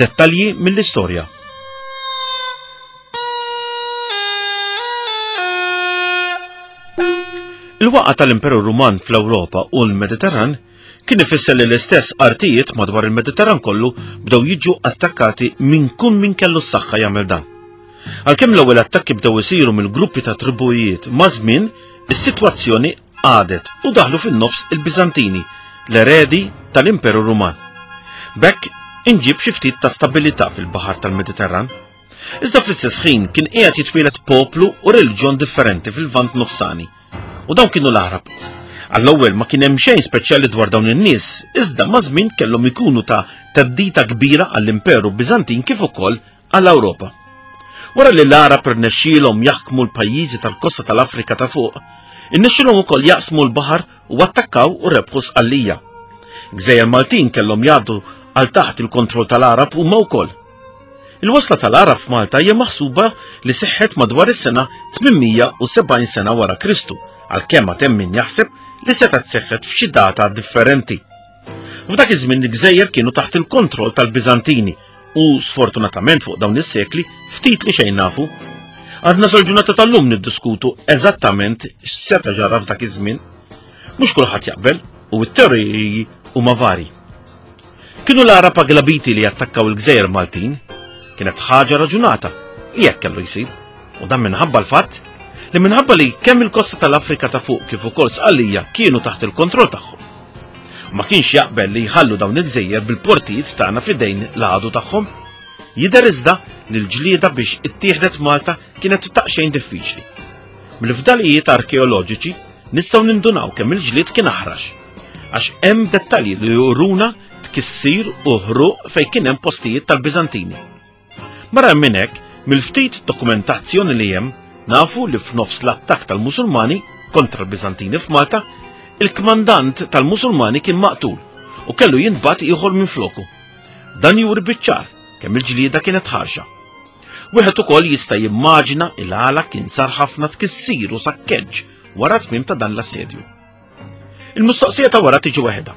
Dettalji mill-istorja. Il-waqa tal-Imperu Ruman fl-Ewropa u l-Mediterran kien ifisser li l-istess artijiet madwar il-Mediterran kollu bdew jiġu attakkati minn kull min kellu s-saħħa jagħmel dan. Għalkemm l-ewwel attakki bdew isiru mill-gruppi ta' tribujiet ma' żmien, is-sitwazzjoni qagħdet u daħlu fin-nofs il-Biżantini, l-eredi tal-Imperu Ruman. B'hekk inġieb xi ftit ta' stabilità fil-baħar tal-Mediterran. Iżda fl-istess ħin kien qiegħed jitwieled poplu u reliġjon differenti fil-Lvant Nofsani. U dawn kienu l-Għarab. Għall-ewwel ma kien hemm xejn speċjali dwar dawn in-nies, iżda maż-żmien kellhom ikunu ta' theddida kbira għall-Imperu Biżantin kif ukoll għall-Ewropa. Wara li l-Għarab irnexxielhom jaħkmu l-pajjiżi tal-kosta tal-Afrika ta' fuq, irnexxielhom ukoll jaqsmu l-baħar u attakkaw u rebħu Sqallija. Gżejjer Maltin kellhom jgħaddu għal taħt il-kontroll tal-Għarab huma wkoll. Il-wasla tal-Għarab f'Malta hija maħsuba li seħħet madwar is-sena 870 sena wara Kristu, għalkemm għad hemm min jaħseb li setgħet seħħet f'xi data differenti. F'dak iż-żmien il-gżejjer kienu taħt il-kontroll tal-Biżantini u sfortunatament fuq dawn is-sekli ftit li xejn nafu. Għadna sal-ġurnata tal-lum niddiskutu eżattament x'seta' ġara f'dak iż-żmien. Mhux kulħadd jaqbel u t-teoriji huma vari. Kienu l-Għarab Aglabiti li attakkaw il-gżejjer Maltin. Kienet ħaġa raġunata li hekk kellu jsir. U dan minħabba l-fatt li minħabba li kemm il-kosta tal-Afrika ta' fuq kif ukoll Sqallija kienu taħt il-kontroll tagħhom. Ma kienx jaqbel li jħallu dawn il-gżejjer bil-portijiet tagħna f'idejn l-għadu tagħhom. Jidher iżda li l-ġlieda biex ittieħdet Malta kienet taqxejn diffiċli. Mill-fdalijiet arkeoloġiċi nistgħu nindunaw kemm il-ġlied kien aħrax. Għax hemm dettalji li juruna tkissir u ħruq fejn kien hemm postijiet tal-Biżantini. Barra minn hekk, mill-ftit dokumentazzjoni li hemm, nafu li f'nofs l-attakk tal-Musulmani kontra l-Biżantini f'Malta, il-kmandant tal-Musulmani kien maqtul u kellu jintbagħat ieħor minn floku. Dan juri biċ-ċar kemm il-ġlieda kienet ħarxa. Wieħed ukoll jista' jimmaġina il-għala kien sar ħafna tkissir u sakkeġġ wara tmiem ta' dan l-assedju. Il-mistoqsija ta' wara tiġi waħedha.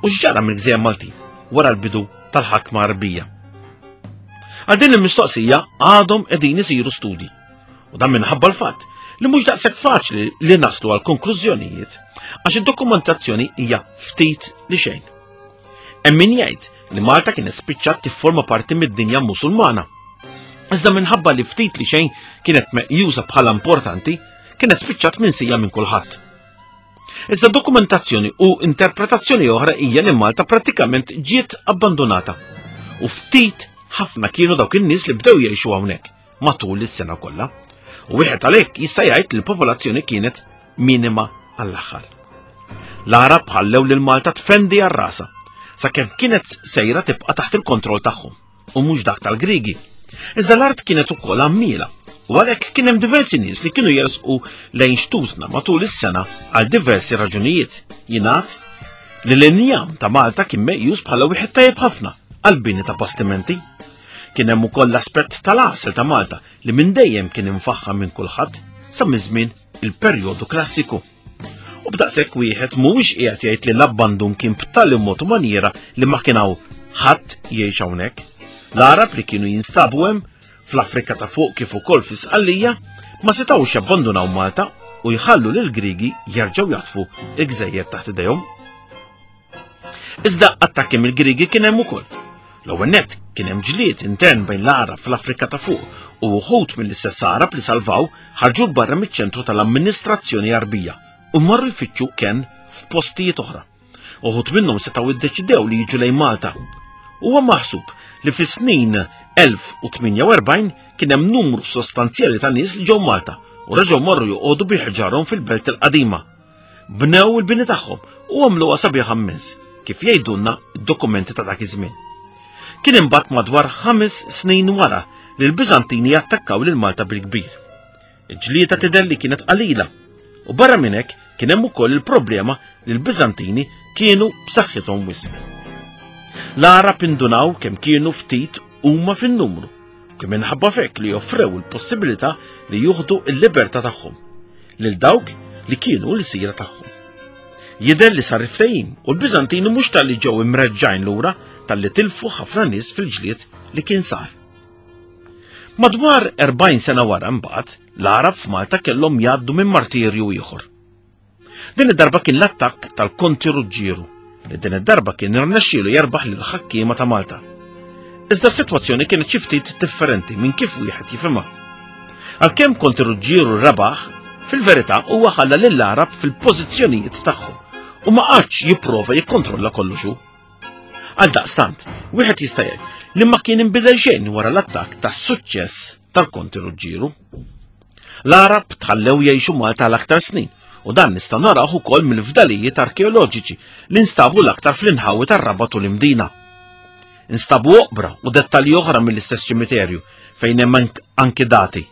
U x'ġara mill-Gżejjer Maltin wara l-bidu tal-ħakma Għarbija? Għal din il-mistoqsija għadhom qegħdin isiru studji. U dan minħabba l-fatt li mhux daqshekk faċli li naslu għal konklużjonijiet għax id-dokumentazzjoni hija ftit li xejn. Hemm min jgħid li Malta kienet spiċċat tifforma parti mid-dinja Musulmana. Iżda minħabba li ftit li xejn kienet meqjusa bħala importanti, kienet spiċċat minsija minn kulħadd. Iżda dokumentazzjoni u interpretazzjoni oħra hija li Malta prattikament ġiet abbandonata u ftit ħafna kienu dawk in-nies li bdew jgħixu hawnhekk matul is-sena kollha. U wieħed għalhekk jista' jgħid li l-popolazzjoni kienet minima għall-aħħar. L-Għarab ħallew lil Malta tfendi għal rasa sakemm kienet sejra tibqa' taħt il-kontroll tagħhom. u mhux dak tal-Griegi. Iżda l-art kienet ukoll għammiela u għalhekk kien hemm diversi nies li kienu jersqu lejn xtutna matul is-sena għal diversi raġunijiet. Jingħad li l-injam ta' Malta kien meqjus bħala wieħed tajjeb ħafna għal bini ta' bastimenti. Kien hemm ukoll l-aspett tal-għasel ta' Malta li minn dejjem kien imfaħħam minn kulħadd sa minn żmien il-perjodu klassiku. U b'daqshekk wieħed mhuwiex qiegħed jgħid li l-abbandun kien b'tali mod u manjiera li ma kien hawn ħadd jgħix hawnhekk. L-Għarab li kienu jinstabu hemm fl-Afrika ta' fuq kif ukoll fi Sqallija ma setgħux jabbandunaw Malta u jħallu lil Grigi jerġgħu jaħtfu l-gżejjer taħt idejhom. Iżda attakki mill-Griegi kien hemm ukoll. L-ewwel nett kien hemm ġlied intern bejn l-Għarab fl-Afrika ta' fuq u wħud mill-istess Għarab li salvaw ħarġu 'l barra miċ-ċentru tal-amministrazzjoni Għarbija u marru jfittxu kenn f'postijiet oħra. Uħud minnhom setgħu iddeċidew li jiġu lejn Malta. Huwa maħsub li fis-snin 1048 kien hemm numru sostanzjali ta' nies li ġew Malta u reġgħu marru joqogħdu bi ħġarhom fil-Belt il-Qadima. Bnew il-bini tagħhom u għamluha sabiħa mmens, kif jgħidulna d-dokumenti ta' dak iż-żmien. Kien imbagħad madwar ħames snin wara li l-Biżantini attakkaw lil Malta bil-kbir. Il-ġlieda tidher li kienet qalila u barra minn hekk kien hemm ukoll il-problema li l-Biżantini kienu b'saħħithom wisq. L-Għarab indunaw kemm kienu ftit huma fin-numru, kien minħabba f'hekk li offrew il-possibilità li juħdu l-libertà tagħhom lil dawk li kienu l-sira tagħhom. Jidher li sar ftehim u l-Biżantini mhux talli ġew imreġġajn lura talli tilfu ħafna nies fil-ġlied li kien sar. Madwar 40 sena wara mbagħad, l-Għarab f'Malta kellhom jgħaddu minn martirju ieħor. Din id-darba kien l-attakk tal-Konti Ruġġieru, li din id-darba kien irnexxielu jerbaħ lil ħakkiema ta' Malta. Iżda s-sitwazzjoni kienet xi ftit differenti minn kif wieħed jifhimha. Għalkemm Konti Ruġġieru rebaħ, fil-verità huwa ħalla lill-Għarab fil-pożizzjonijiet tagħhom u ma qagħadx jipprova jikkontrolla kollox hu. Għaldaqstant, wieħed jista' jgħid li ma kien inbidel xejn wara l-attakk tas-suċċess tal-Konti Ruġġieru. L-Għarab tħallew jgħixu Malta għal aktar snin u dan nistgħu narawh ukoll mill-fdalijiet arkeoloġiċi li nstabu l-aktar fl-inħawi tar-Rabat u l-Imdina. Instabu oqbra u dettalji oħra mill-istess ċimiterju fejn hemm anki dati.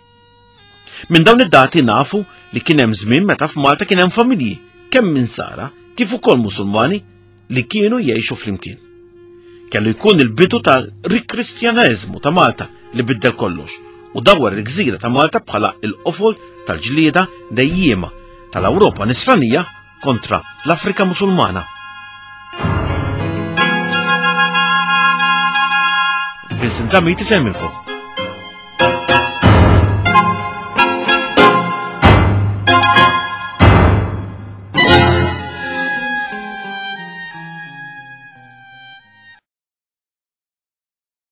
Minn dawn id-dati nafu li kien hemm żmien meta f'Malta kien hemm familji kemm minn Sara kif ukoll Musulmani li kienu jgħixu flimkien. Kellu jkun il-bidu tal-rikristjaneżmu ta' Malta li biddel kollox u dawwar il-gżira ta' Malta bħala il-qofol tal-ġlieda dejjiema tal-Ewropa nisranija kontra l-Afrika Musulmana. Vincent Zammit isemmilkom.